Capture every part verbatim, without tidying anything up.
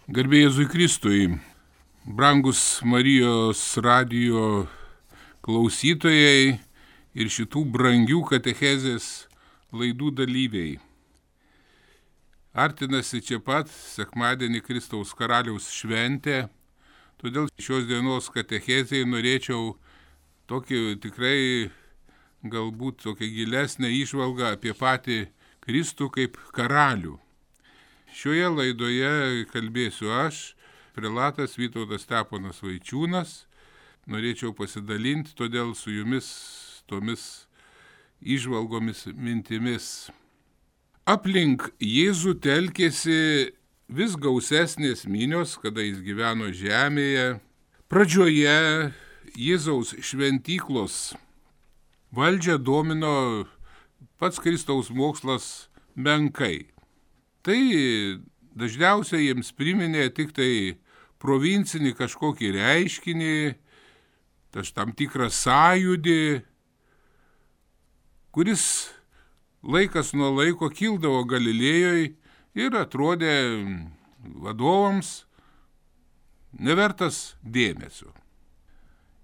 Garbė Jėzui Kristui, brangus Marijos radijo klausytojai ir šitų brangių katechezės laidų dalyviai. Artinasi čia pat sekmadienį Kristaus karaliaus šventė, todėl šios dienos katechezėje norėčiau tokį tikrai galbūt tokią gilesnę įžvalgą apie patį Kristų kaip karalių. Šioje laidoje kalbėsiu aš, prelatas Vytautas Steponas Vaičiūnas. Norėčiau pasidalinti todėl su jumis tomis įžvalgomis mintimis. Aplink Jėzų telkėsi vis gausesnės minios, kada jis gyveno žemėje. Pradžioje Jėzaus šventyklos valdžią domino pats Kristaus mokslas menkai. Tai dažniausiai jiems priminė tik tai provincinį kažkokį reiškinį, tas tam tikrą sąjūdį, kuris laikas nuo laiko kildavo Galilėjoje ir atrodė vadovams nevertas dėmesio.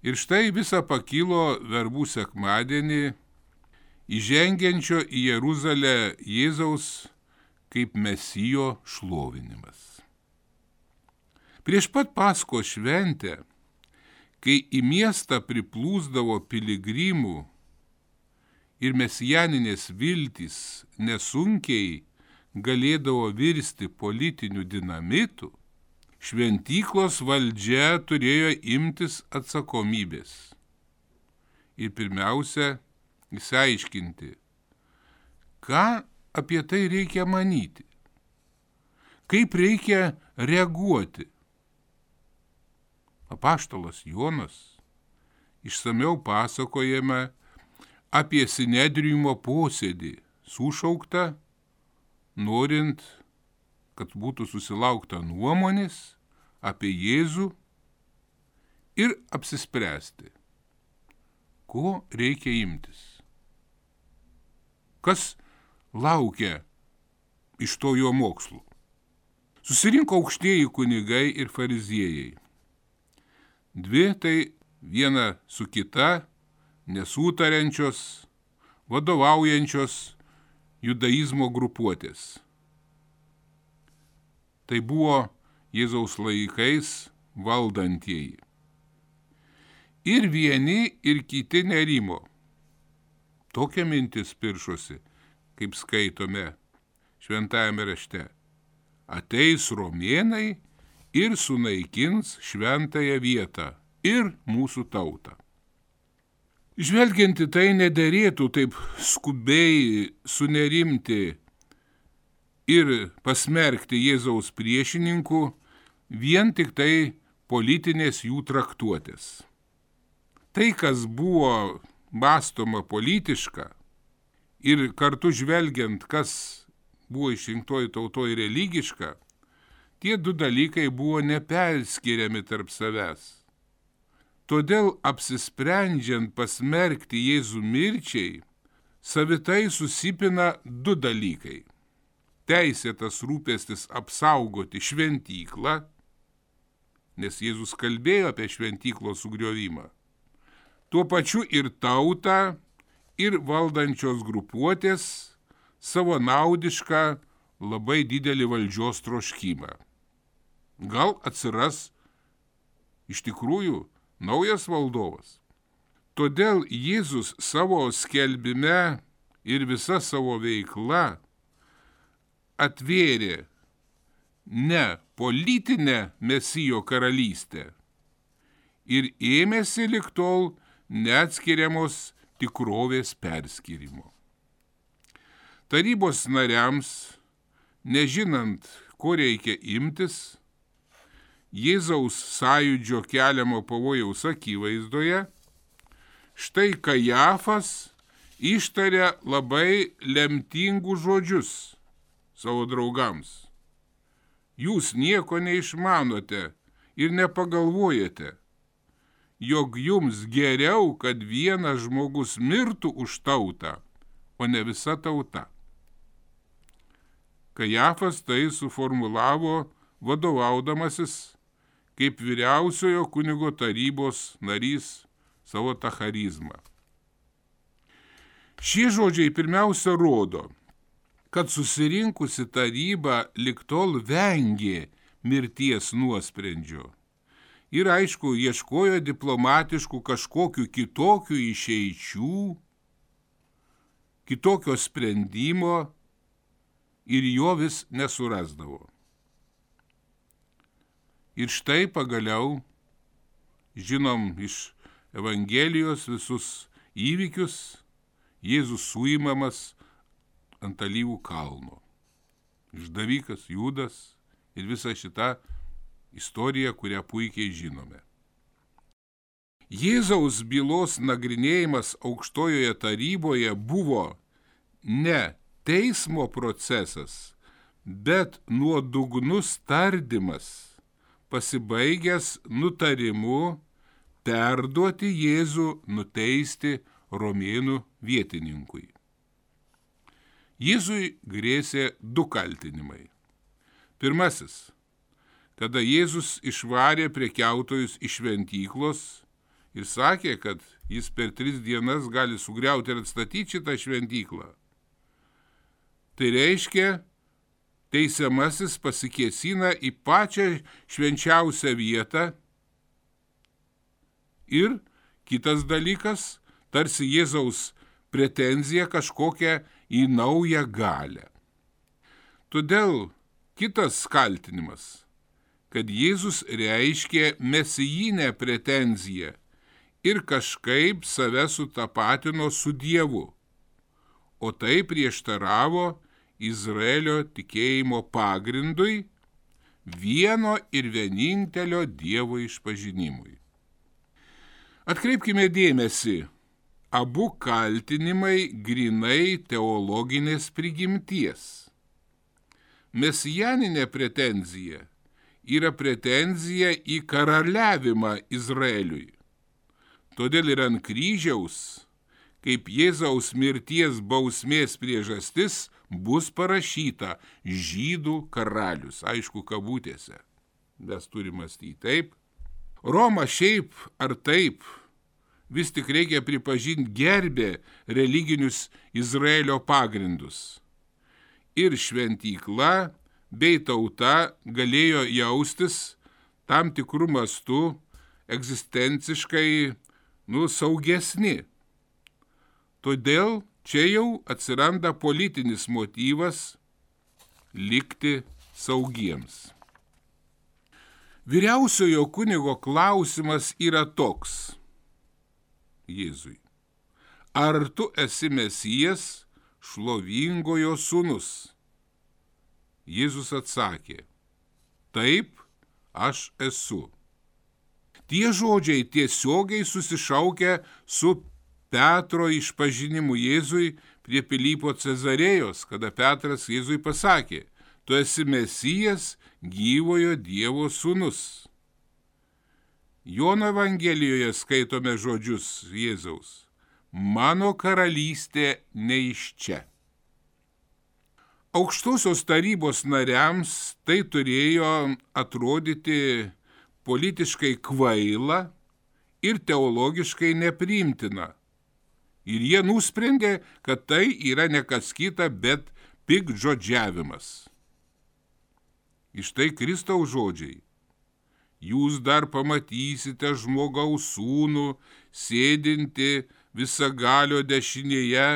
Ir štai visa pakilo verbų sekmadienį įžengiančio į Jeruzalę Jėzaus kaip Mesijo šlovinimas. Prieš pat Paskos šventę, kai į miestą priplūsdavo piligrimų ir mesijaninės viltys nesunkiai galėdavo virsti politiniu dinamitu, šventyklos valdžia turėjo imtis atsakomybės. Ir pirmiausia, išsiaiškinti, ką apie tai reikia manyti, kaip reikia reaguoti. Apaštalas Jonas išsamiau pasakojame apie sinedriumo posėdį, sušauktą, norint, kad būtų susilaukta nuomonės apie Jėzų ir apsispręsti, ko reikia imtis. Kas laukia iš to jo mokslų? Susirinko aukštieji kunigai ir fariziejai. Dvi tai viena su kita nesutariančios, vadovaujančios judaizmo grupuotės. Tai buvo Jėzaus laikais valdantieji. Ir vieni, ir kiti nerimo. Tokia mintis piršosi, kaip skaitome šventajame rašte. Ateis romėnai ir sunaikins šventąją vietą ir mūsų tautą. Žvelgiant į tai, nederėtų taip skubiai sunerimti ir pasmerkti Jėzaus priešininkų vien tik tai politinės jų traktuotės. Tai, kas buvo mąstoma politiška, ir kartu žvelgiant, kas buvo išrinktoji tautoji religiška, tie du dalykai buvo neperskiriami tarp savęs. Todėl apsisprendžiant pasmerkti Jėzų mirčiai, savitai susipina du dalykai. Teisėtas rūpestis apsaugoti šventyklą, nes Jėzus kalbėjo apie šventyklos sugriovimą, tuo pačiu ir tautą, ir valdančios grupuotės savo naudišką labai didelį valdžios troškimą. Gal atsiras iš tikrųjų naujas valdovas. Todėl Jėzus savo skelbime ir visa savo veikla atvėrė ne politinę Mesijo karalystę ir ėmėsi lig tol neatskiriamos tikrovės perskirimo. Tarybos nariams, nežinant, ko reikia imtis, Jėzaus sąjūdžio keliamo pavojaus akivaizdoje, štai Kajafas ištarė labai lemtingus žodžius savo draugams. Jūs nieko neišmanote ir nepagalvojate, jog jums geriau, kad vienas žmogus mirtų už tautą, o ne visa tauta. Kajafas tai suformulavo vadovaudamasis kaip vyriausiojo kunigo tarybos narys savo tą charizmą. Šie žodžiai pirmiausia rodo, kad susirinkusi taryba lig tol vengė mirties nuosprendžio ir aišku ieškojo diplomatiškų kažkokių kitokių išeičių, kitokio sprendimo ir jo vis nesurasdavo. Ir štai pagaliau, žinom iš Evangelijos visus įvykius, Jėzus suimamas ant Alyvų kalno. Išdavikas Judas ir visa šita istorija, kurią puikiai žinome. Jėzaus bylos nagrinėjimas aukštojoje taryboje buvo ne teismo procesas, bet nuodugnus tardymas, pasibaigęs nutarimu perduoti Jėzų nuteisti romėnų vietininkui. Jėzui grėsė du kaltinimai. Pirmasis, kada Jėzus išvarė prekiautojus iš šventyklos ir sakė, kad jis per tris dienas gali sugriauti ir atstatyti šitą šventyklą. Tai reiškia, teisiamasis pasikėsina į pačią švenčiausią vietą ir kitas dalykas, tarsi Jėzaus pretenzija kažkokia į naują galią. Todėl kitas kaltinimas, kad Jėzus reiškė mesijinę pretenziją ir kažkaip save sutapatino su Dievu, o tai prieštaravo Izraelio tikėjimo pagrindui, vieno ir vienintelio Dievo išpažinimui. Atkreipkime dėmesį, abu kaltinimai grinai teologinės prigimties. Mesijaninė pretenzija yra pretenzija į karaliavimą Izraeliui. Todėl ir ant kryžiaus, kaip Jėzaus mirties bausmės priežastis, bus parašyta žydų karalius, aišku, kabutėse. Mes turime mąstyti taip. Roma šiaip ar taip, vis tik reikia pripažinti gerbė religinius Izraelio pagrindus. Ir šventykla bei tauta galėjo jaustis tam tikrų mastų egzistenciškai nu, saugesni. Todėl čia jau atsiranda politinis motyvas likti saugiems. Vyriausiojo kunigo klausimas yra toks Jėzui. Ar tu esi Mesijas, šlovingojo sūnus? Jėzus atsakė, taip, aš esu. Tie žodžiai tiesiogiai susišaukia su Petro išpažinimu Jėzui prie Pilypo Cezarėjos, kada Petras Jėzui pasakė, tu esi Mesijas, gyvojo Dievo sūnus. Jono Evangelijoje skaitome žodžius Jėzaus. Mano karalystė ne iš čia. Aukštosios tarybos nariams tai turėjo atrodyti politiškai kvaila ir teologiškai nepriimtina. Ir jie nusprendė, kad tai yra ne kas kita, bet piktžodžiavimas. Iš tai Kristaus žodžiai. Jūs dar pamatysite žmogaus sūnų, sėdinti visagalio dešinėje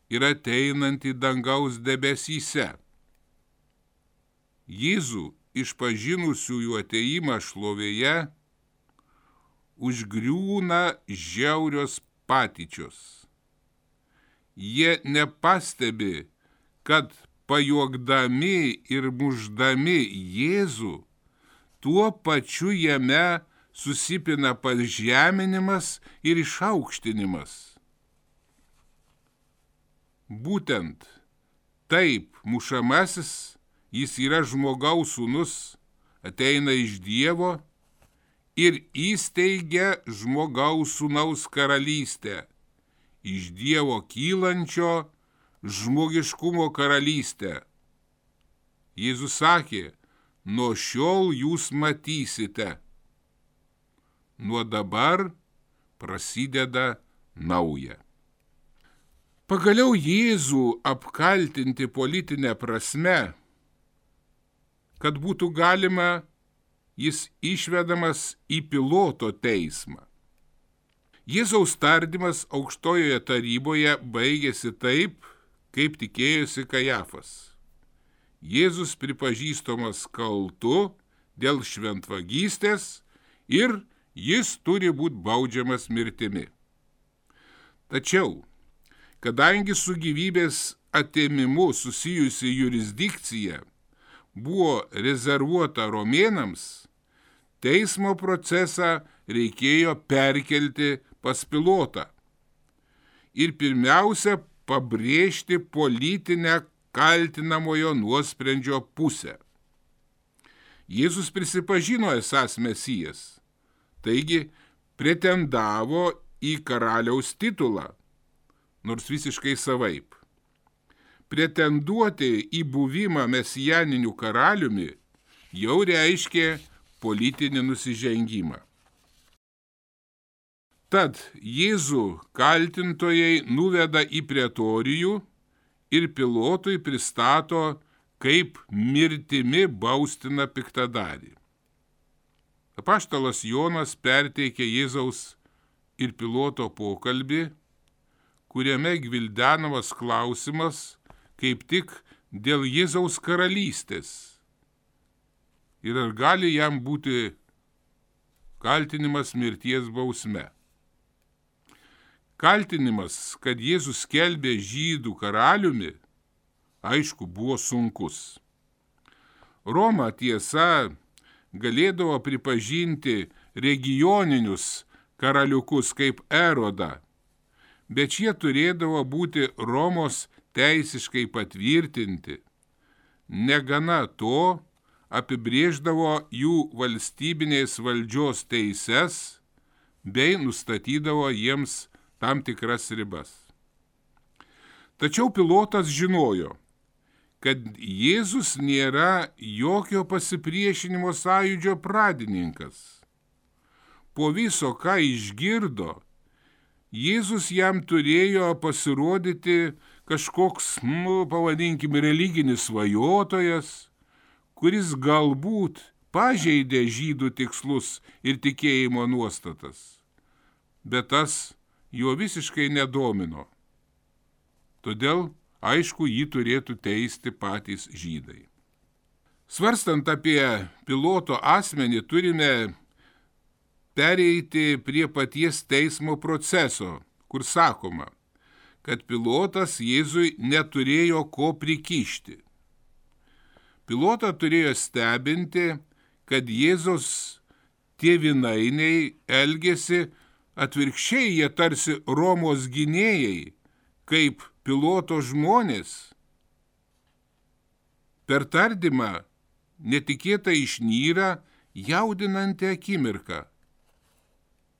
ir ateinantį dangaus debesyse. Jėzų išpažinusiųjų ateimą šlovėje užgriūna žiaurios patyčios. Jie nepastebi, kad pajuokdami ir mušdami Jėzų, tuo pačiu jame susipina pažeminimas ir išaukštinimas. Būtent taip mušamasis, jis yra žmogaus sūnus, ateina iš Dievo ir įsteigia žmogaus sūnaus karalystę, iš Dievo kylančio žmogiškumo karalystę. Jėzus sakė, nuo šiol jūs matysite. Nuo dabar prasideda nauja. Pagaliau Jėzų apkaltinti politinę prasme, kad būtų galima, jis išvedamas į Piloto teismą. Jėzaus tardymas aukštojoje taryboje baigėsi taip, kaip tikėjosi Kajafas. Jėzus pripažįstamas kaltu dėl šventvagystės ir jis turi būti baudžiamas mirtimi. Tačiau, kadangi su gyvybės atėmimu susijusi jurisdikcija buvo rezervuota romėnams, teismo procesą reikėjo perkelti pas Pilotą ir pirmiausia pabrėžti politinę kaltinamojo nuosprendžio pusę. Jėzus prisipažino esąs Mesijas, taigi pretendavo į karaliaus titulą, nors visiškai savaip. Pretenduoti į buvimą mesijaniniu karaliumi jau reiškė politinį nusižengimą. Tad Jėzų kaltintojai nuveda į pretorijų ir Pilotui pristato, kaip mirtimi baustina piktadarį. Apaštalas Jonas perteikė Jėzaus ir Piloto pokalbį, kuriame gvildenamas klausimas kaip tik dėl Jėzaus karalystės. Ir ar gali jam būti kaltinimas mirties bausme? Kaltinimas, kad Jėzus skelbė žydų karaliumi, aišku, buvo sunkus. Roma tiesa galėdavo pripažinti regioninius karaliukus kaip Erodą, bet šie turėdavo būti Romos teisiškai patvirtinti. Negana to, apibrėždavo jų valstybinės valdžios teises bei nustatydavo jiems tam tikras ribas. Tačiau Pilotas žinojo, kad Jėzus nėra jokio pasipriešinimo sąjūdžio pradininkas. Po viso, ką išgirdo, Jėzus jam turėjo pasirodyti kažkoks, nu, pavadinkim, religinis svajotojas, kuris galbūt pažeidė žydų tikslus ir tikėjimo nuostatas, bet tas jo visiškai nedomino. Todėl, aišku, jį turėtų teisti patys žydai. Svarstant apie Piloto asmenį, turime pereiti prie paties teismo proceso, kur sakoma, kad Pilotas Jėzui neturėjo ko prikišti. Pilotą turėjo stebinti, kad Jėzaus tėvynainiai elgėsi atvirkščiai, jie tarsi Romos gynėjai, kaip Piloto žmonės. Per tardymą netikėtai išnyra jaudinanti akimirka.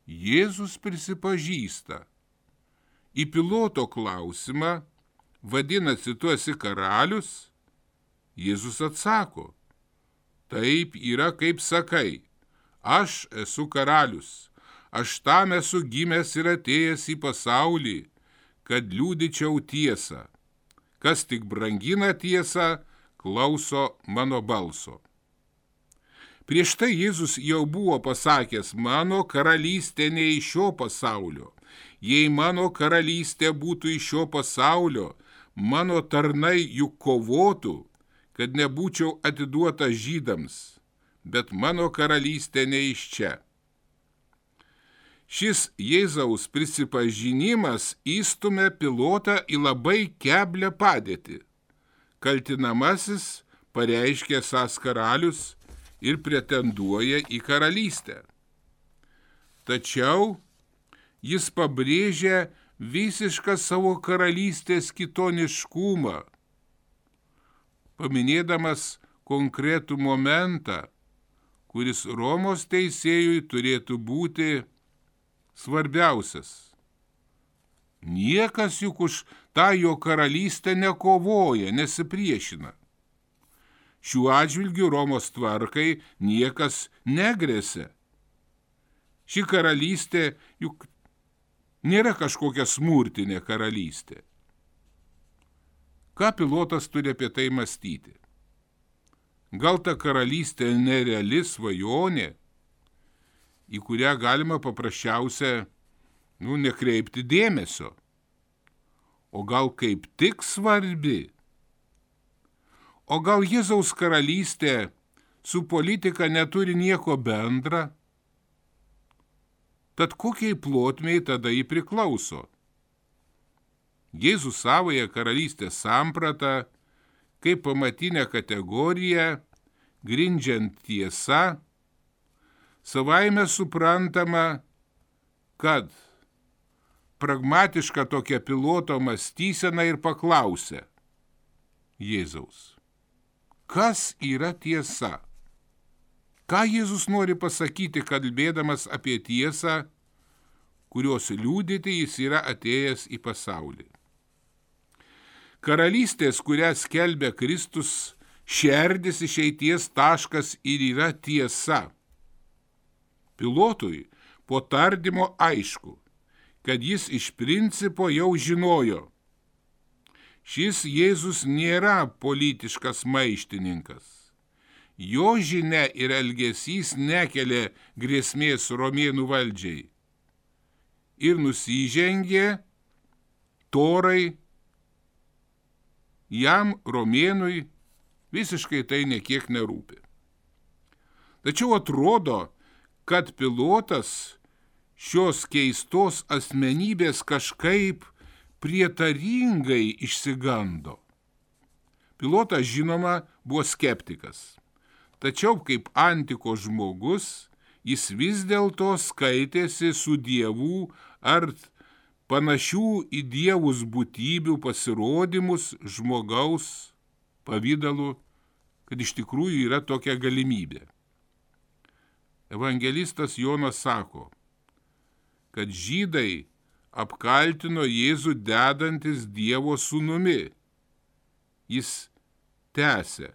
Jėzus prisipažįsta. Į Piloto klausimą, vadinasi, tu esi karalius, Jėzus atsako, taip yra, kaip sakai, aš esu karalius, aš tam esu gimęs ir atėjęs į pasaulį, kad liudyčiau tiesą. Kas tik brangina tiesą, klauso mano balso. Prieš tai Jėzus jau buvo pasakęs, mano karalystė ne iš šio pasaulio. Jei mano karalystė būtų iš šio pasaulio, mano tarnai juk kovotų, kad nebūčiau atiduota žydams, bet mano karalystė ne iš čia. Šis Jėzaus prisipažinimas įstumia Pilotą į labai keblią padėtį. Kaltinamasis pareiškė esąs karalius ir pretenduoja į karalystę. Tačiau jis pabrėžia visišką savo karalystės kitoniškumą, paminėdamas konkretų momentą, kuris Romos teisėjui turėtų būti svarbiausias. Niekas juk už tą jo karalystę nekovoja, nesipriešina. šiuo atžvilgiu Romos tvarkai niekas negrėsė. Ši karalystė juk nėra kažkokia smurtinė karalystė. Ką Pilotas turi apie tai mąstyti? Gal ta karalystė nereali svajonė, į kurią galima paprasčiausia, nu, nekreipti dėmesio, o gal kaip tik svarbi? O gal Jėzaus karalystė su politika neturi nieko bendra? Tad kokiai plotmei tada jį priklauso? Jėzus savoje karalystės sampratą, kaip pamatinę kategoriją, grindžiant tiesa, savaime suprantama, kad pragmatiška tokia Piloto mąstysena ir paklausė Jėzaus: kas yra tiesa? Ką Jėzus nori pasakyti, kalbėdamas apie tiesą, kurios liudyti jis yra atėjęs į pasaulį? Karalystės, kurią skelbia Kristus, šerdis išeities taškas ir yra tiesa. Pilotui po tardymo aišku, kad jis iš principo jau žinojo: šis Jėzus nėra politiškas maištininkas. Jo žinia ir elgesys nekelia grėsmės romėnų valdžiai. Ir nusižengė torai, jam romėnui visiškai tai nekiek nerūpi. Tačiau atrodo, kad Pilotas šios keistos asmenybės kažkaip prietaringai išsigando. Pilotas, žinoma, buvo skeptikas. Tačiau kaip antikos žmogus, jis vis dėlto skaitėsi su dievų ar panašių į dievus būtybių pasirodymus žmogaus pavidalu, kad iš tikrųjų yra tokia galimybė. Evangelistas Jonas sako, kad žydai apkaltino Jėzų dedantis Dievo sūnumi. Jis tęsė: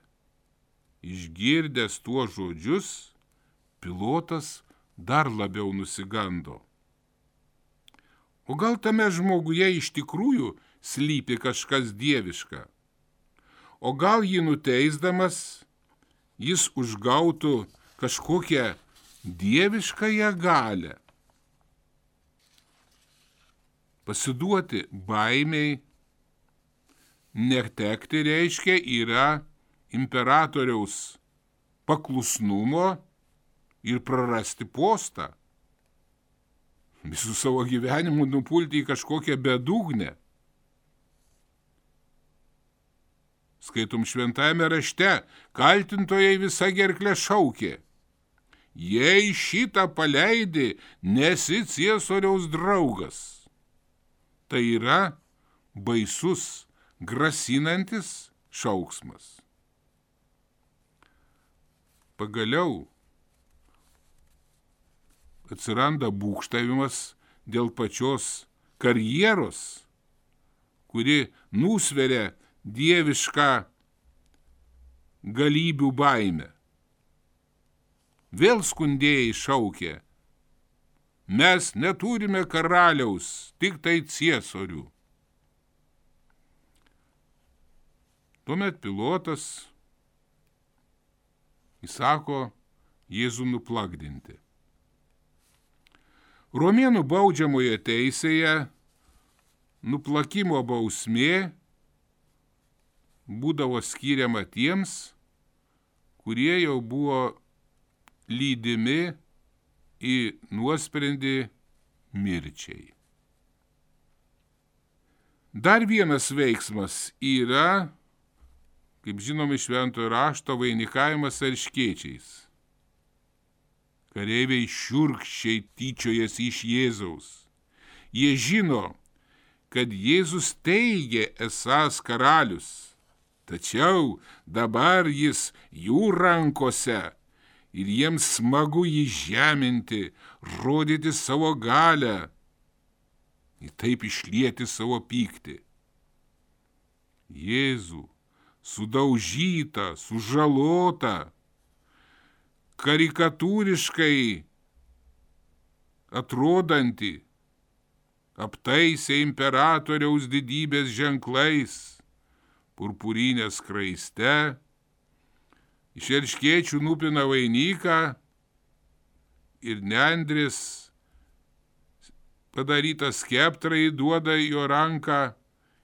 išgirdęs tuos žodžius, Pilotas dar labiau nusigando. O gal tame žmoguje iš tikrųjų slypi kažkas dieviška? O gal jį nuteisdamas, jis užgautų kažkokią dieviškąją galią? Pasiduoti baimiai, netekti reiškia yra imperatoriaus paklusnumo ir prarasti postą. Visų savo gyvenimu nupulti į kažkokią bedugnę. Skaitom šventajame rašte, kaltintojai visa gerklė šaukė: jei šitą paleidi, nesi Ciesoriaus draugas. Tai yra baisus, grasinantis šauksmas. Pagaliau atsiranda būgštavimas dėl pačios karjeros, kuri nusveria dievišką galybių baimę. Vėl skundėjai šaukė: mes neturime karaliaus, tik tai ciesorių. Tuomet Pilotas įsako Jėzų nuplagdinti. Romėnų baudžiamoje teisėje nuplakimo bausmė būdavo skiriama tiems, kurie jau buvo lydimi į nuosprendį mirčiai. Dar vienas veiksmas yra, kaip žinome iš Šventojo rašto, vainikavimas erškėčiais. Kareiviai šiurkščiai tyčiojasi iš Jėzaus. Jie žino, kad Jėzus teigė esąs karalius, tačiau dabar jis jų rankose ir jiems smagu jį žeminti, rodyti savo galią ir taip išlieti savo pyktį. Jėzų sudaužytą, sužalotą, karikatūriškai atrodantį, aptaisė imperatoriaus didybės ženklais, purpurinę skraiste, iš erškėčių nupina vainiką ir nendrės padarytą skeptrą įduoda jo ranką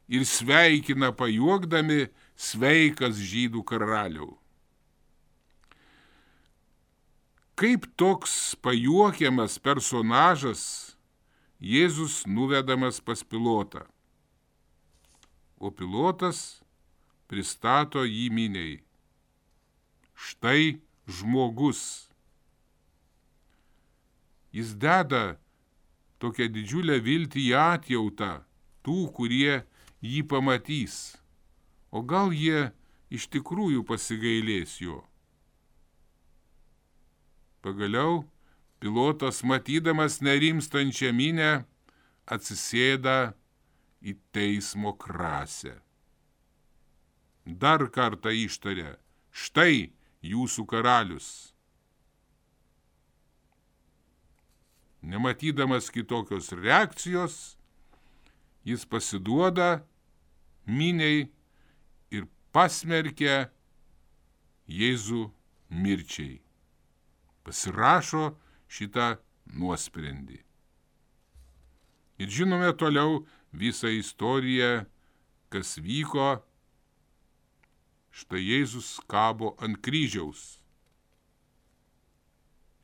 ir sveikina pajuokdami: sveikas žydų karaliau. Kaip toks pajuokiamas personažas Jėzus nuvedamas pas Pilotą, o Pilotas pristato jį miniai. Štai žmogus. Jis deda tokią didžiulę viltį į atjautą tų, kurie jį pamatys, o gal jie iš tikrųjų pasigailės jo. Pagaliau Pilotas, matydamas nerimstančią minią, atsisėda į teismo krasę. Dar kartą ištarė: štai jūsų karalius. Nematydamas kitokios reakcijos, jis pasiduoda miniai ir pasmerkia Jėzų mirčiai. Pasirašo šitą nuosprendį. Ir žinome toliau visą istoriją, kas vyko. Štai Jėzus kabo ant kryžiaus.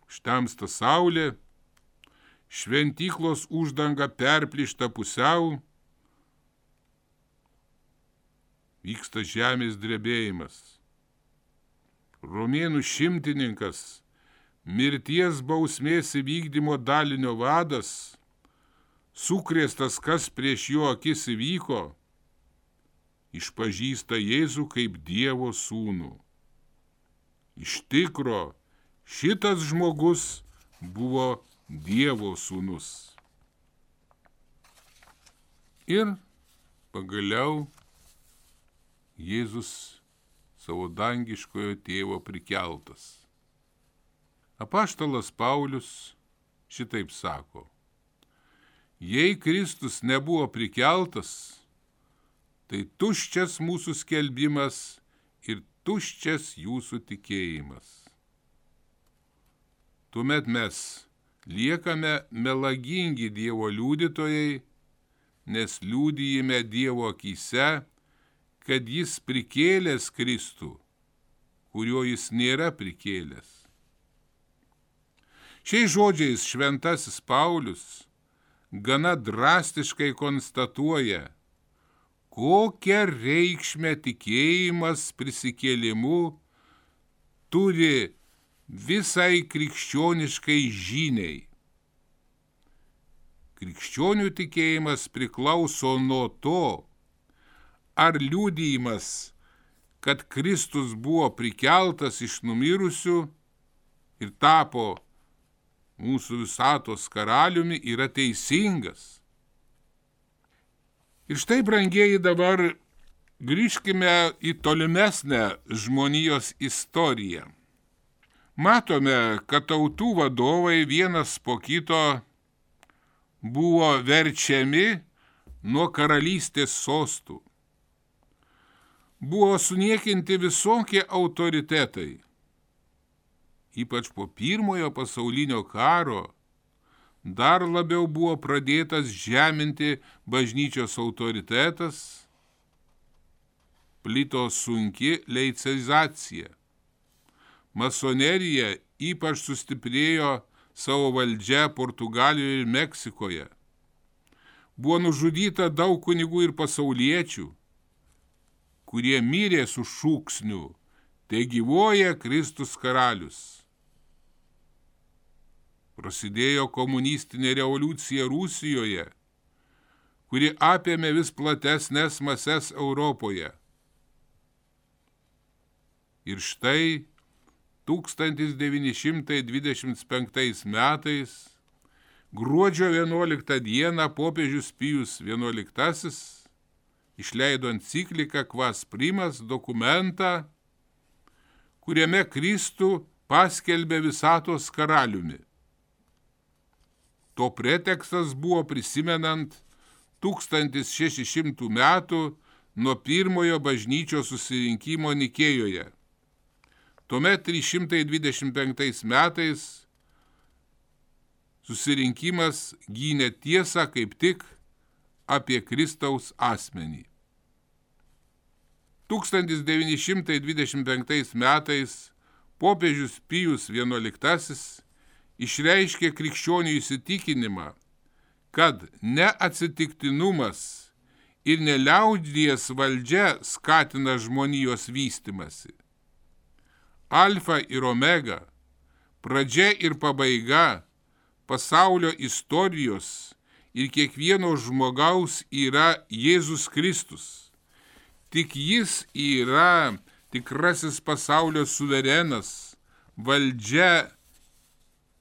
Štemsta saulė, šventyklos uždanga perplyšta pusiau, vyksta žemės drebėjimas. Romėnų šimtininkas, mirties bausmės įvykdymo dalinio vadas, sukrėstas, kas prieš jo akis įvyko, išpažįsta Jėzų kaip Dievo sūnų. Iš tikro, šitas žmogus buvo Dievo sūnus. Ir pagaliau Jėzus savo dangiškojo tėvo prikeltas. Apaštalas Paulius šitaip sako: jei Kristus nebuvo prikeltas, tai tuščias mūsų skelbimas ir tuščias jūsų tikėjimas. Tuomet mes liekame melagingi Dievo liudytojai, nes liudijime Dievo akyse, kad jis prikėlęs Kristų, kurio jis nėra prikėlęs. Šiais žodžiais šventasis Paulius gana drastiškai konstatuoja, kokią reikšmę tikėjimas prisikėlimu turi visai krikščioniškai žiniai. Krikščionių tikėjimas priklauso nuo to, ar liudijimas, kad Kristus buvo prikeltas iš numirusių ir tapo mūsų visatos karaliumi, yra teisingas. Ir štai, brangieji, dabar grįžkime į tolimesnę žmonijos istoriją. Matome, kad tautų vadovai vienas po kito buvo verčiami nuo karalystės sostų. Buvo suniekinti visokie autoritetai. Ypač po pirmojo pasaulinio karo dar labiau buvo pradėtas žeminti bažnyčios autoritetas, plito sunki laicizacija. Masonerija ypač sustiprėjo savo valdžią Portugalijoje ir Meksikoje. Buvo nužudyta daug kunigų ir pasauliečių, kurie mirė su šūksniu: te gyvuoja Kristus karalius. Prasidėjo komunistinė revoliucija Rusijoje, kuri apėmė vis platesnės mases Europoje. Ir štai tūkstantis devyni šimtai dvidešimt penktais metais, gruodžio vienuoliktą dieną, popiežius Pijus vienuoliktasis išleido encikliką Quas Primas dokumentą, kuriame Kristų paskelbė visatos karaliumi. To pretekstas buvo prisimenant tūkstantis šeši šimtų metų nuo pirmojo bažnyčios susirinkimo Nikėjoje. Tuomet trys šimtai dvidešimt penktais metais susirinkimas gynė tiesą kaip tik apie Kristaus asmenį. tūkstantis devyni šimtai dvidešimt penktais metais popiežius Pijus vienuoliktasis išreiškė krikščionių įsitikinimą, kad neatsitiktinumas ir neliaudies valdžia skatina žmonijos vystimasi. Alfa ir omega, pradžia ir pabaiga pasaulio istorijos ir kiekvieno žmogaus yra Jėzus Kristus. Tik jis yra tikrasis pasaulio suverenas, valdžia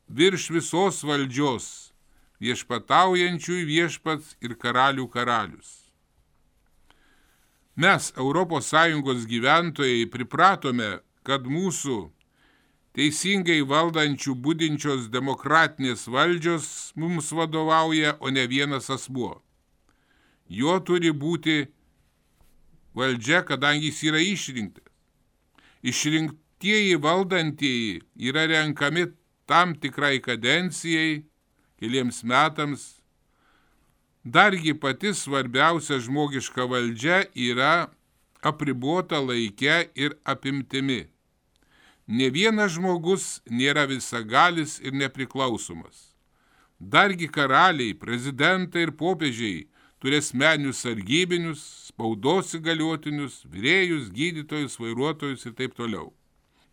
virš visos valdžios, viešpataujančių viešpats ir karalių karalius. Mes, Europos Sąjungos gyventojai, pripratome, kad mūsų teisingai valdančių budinčios demokratinės valdžios mums vadovauja, o ne vienas asmuo. Jo turi būti valdžia, kadangi jis yra išrinktas. Išrinktieji valdantieji yra renkami tam tikrai kadencijai, keliems metams. Dargi pati svarbiausia žmogiška valdžia yra apribota laike ir apimtimi. Ne vienas žmogus nėra visagalis ir nepriklausomas. Dargi karaliai, prezidentai ir popiežiai turi asmeninius sargybinius, spaudos įgaliotinius, virėjus, gydytojus, vairuotojus ir taip toliau.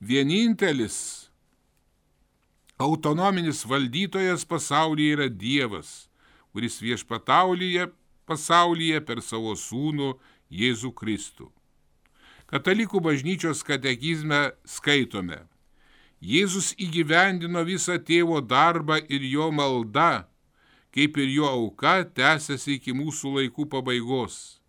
Vienintelis autonominis valdytojas pasaulyje yra Dievas, kuris viešpatauja pasaulyje per savo sūnų Jėzų Kristų. Katalikų bažnyčios katekizme skaitome: Jėzus įgyvendino visą tėvo darbą ir jo malda, kaip ir jo auka tęsiasi iki mūsų laikų pabaigos.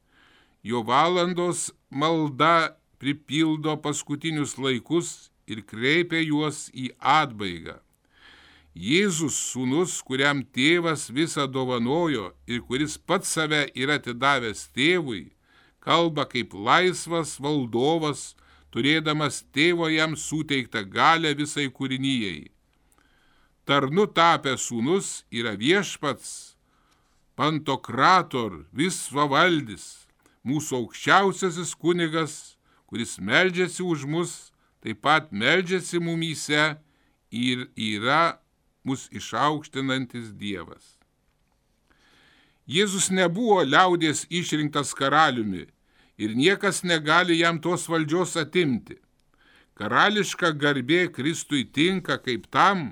Jo valandos malda pripildo paskutinius laikus ir kreipia juos į atbaigą. Jėzus sūnus, kuriam tėvas visą dovanojo ir kuris pats save yra atidavęs tėvui, kalba kaip laisvas valdovas, turėdamas tėvo jam suteiktą galią visai kūrinijai. Tarnu tapęs sūnus yra viešpats, Pantokrator, visvavaldis, mūsų aukščiausiasis kunigas, kuris meldžiasi už mus, taip pat meldžiasi mumyse ir yra mus išaukštinantis Dievas. Jėzus nebuvo liaudies išrinktas karaliumi ir niekas negali jam tos valdžios atimti. Karališka garbė Kristui tinka kaip tam,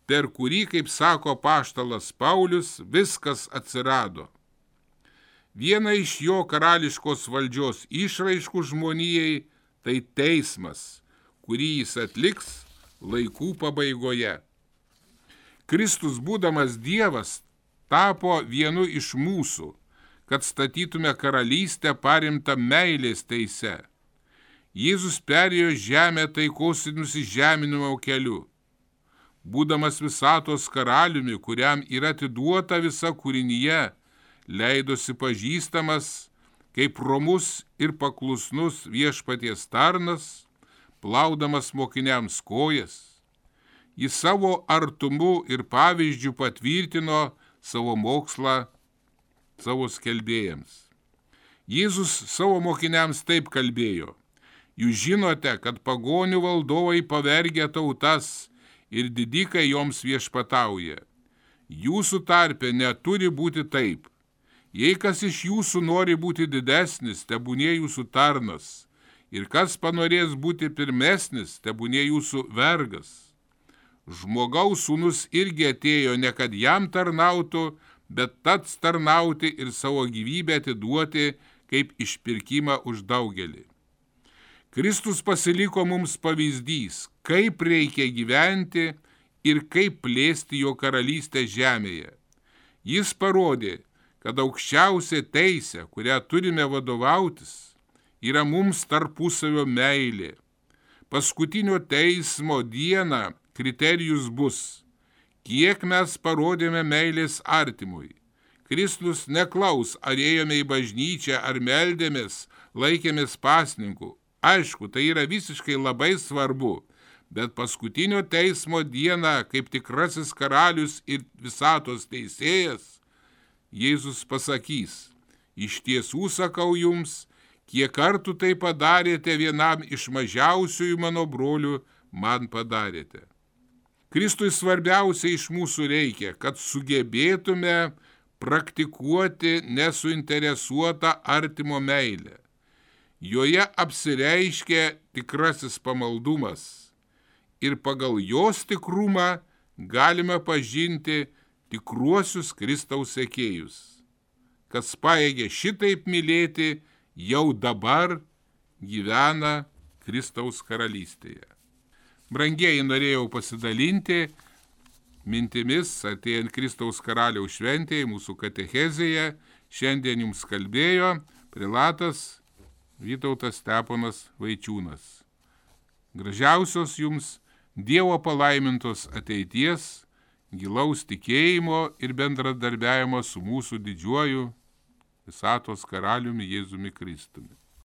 per kurį, kaip sako apaštalas Paulius, viskas atsirado. Viena iš jo karališkos valdžios išraiškų žmonijai tai teismas, kurį jis atliks laikų pabaigoje. Kristus, būdamas Dievas, tapo vienu iš mūsų, kad statytume karalystę parimtą meilės teise. Jėzus perėjo žemę taikos ir nusižeminimo keliu. Būdamas visatos karaliumi, kuriam yra atiduota visa kūrinyje, leidosi pažįstamas kaip romus ir paklusnus viešpaties tarnas, plaudamas mokiniams kojas. Jis savo artumu ir pavyzdžių patvirtino savo mokslą savo skelbėjams. Jėzus savo mokiniams taip kalbėjo: Jūs žinote, kad pagonių valdovai pavergia tautas ir didikai joms viešpatauja. Jūsų tarpe neturi būti taip. Jei kas iš jūsų nori būti didesnis, tebūnie jūsų tarnas, ir kas panorės būti pirmesnis, tebūnie jūsų vergas. Žmogaus sūnus irgi atėjo ne kad jam tarnautų, bet tats tarnauti ir savo gyvybę atiduoti kaip išpirkimą už daugelį. Kristus pasiliko mums pavyzdys, kaip reikia gyventi ir kaip plėsti jo karalystę žemėje. Jis parodė, kad aukščiausia teisė, kurią turime vadovautis, yra mums tarpusavio meilė. Paskutinio teismo dieną kriterijus bus, kiek mes parodėme meilės artimui. Kristus neklaus, ar ėjome į bažnyčią, ar meldėmės, laikėmės pasninkų. Aišku, tai yra visiškai labai svarbu, bet paskutinio teismo dieną, kaip tikrasis karalius ir visatos teisėjas, Jėzus pasakys, iš tiesų sakau jums, kiek kartų tai padarėte vienam iš mažiausiųjų mano brolių, man padarėte. Kristui svarbiausia iš mūsų reikia, kad sugebėtume praktikuoti nesuinteresuotą artimo meilę. Joje apsireiškia tikrasis pamaldumas ir pagal jos tikrumą galime pažinti tikruosius Kristaus sekėjus. Kas pajėgia šitaip mylėti, jau dabar gyvena Kristaus karalystėje. Brangieji, norėjau pasidalinti mintimis artėjant Kristaus karaliaus šventėje, mūsų katechezėje. Šiandien jums kalbėjo prelatas Vytautas Steponas Vaičiūnas. Gražiausios jums Dievo palaimintos ateities, gilaus tikėjimo ir bendradarbiavimo su mūsų didžiuoju visatos karaliumi Jėzumi Kristumi.